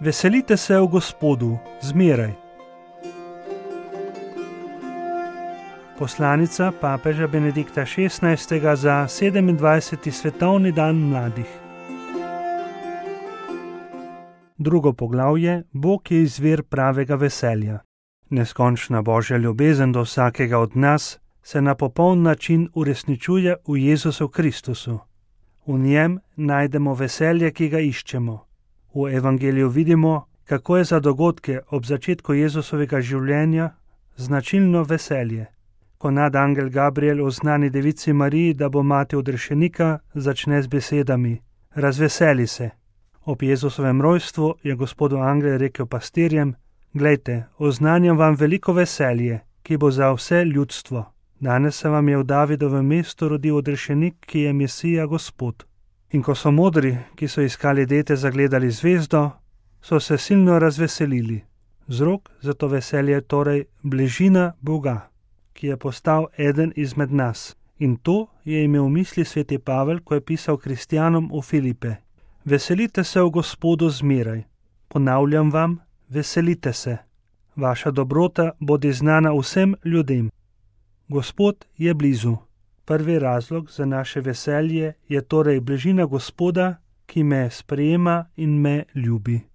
Veselite se v Gospodu, zmeraj. Poslanica papeža Benedikta XVI. Za 27. svetovni dan mladih. Drugo poglavje: Bog je izvir pravega veselja. Neskončna Božja ljubezen do vsakega od nas se na popoln način uresničuje v Jezusu Kristusu. V njem najdemo veselje, ki ga iščemo. V evangeliju vidimo, kako je za dogodke ob začetku Jezusovega življenja značilno veselje. Ko nadangel Gabriel oznani devici Mariji, da bo mati odrešenika, začne z besedami: razveseli se. Ob Jezusovem rojstvu je Gospodu angel rekel pastirjem: glejte, oznanjam vam veliko veselje, ki bo za vse ljudstvo. Danes se vam je v Davidovem mestu rodil odrešenik, ki je Mesija Gospod. In ko so modri, ki so iskali dete, zagledali zvezdo, so se silno razveselili. Vzrok za to veselje je torej bližina Boga, ki je postal eden izmed nas. In to je imel v misli sveti Pavel, ko je pisal kristjanom v Filipe. Veselite se v Gospodu zmeraj. Ponavljam vam, veselite se. Vaša dobrota bodi znana vsem ljudem. Gospod je blizu. Prvi razlog za naše veselje je torej bližina Gospoda, ki me sprejema in me ljubi.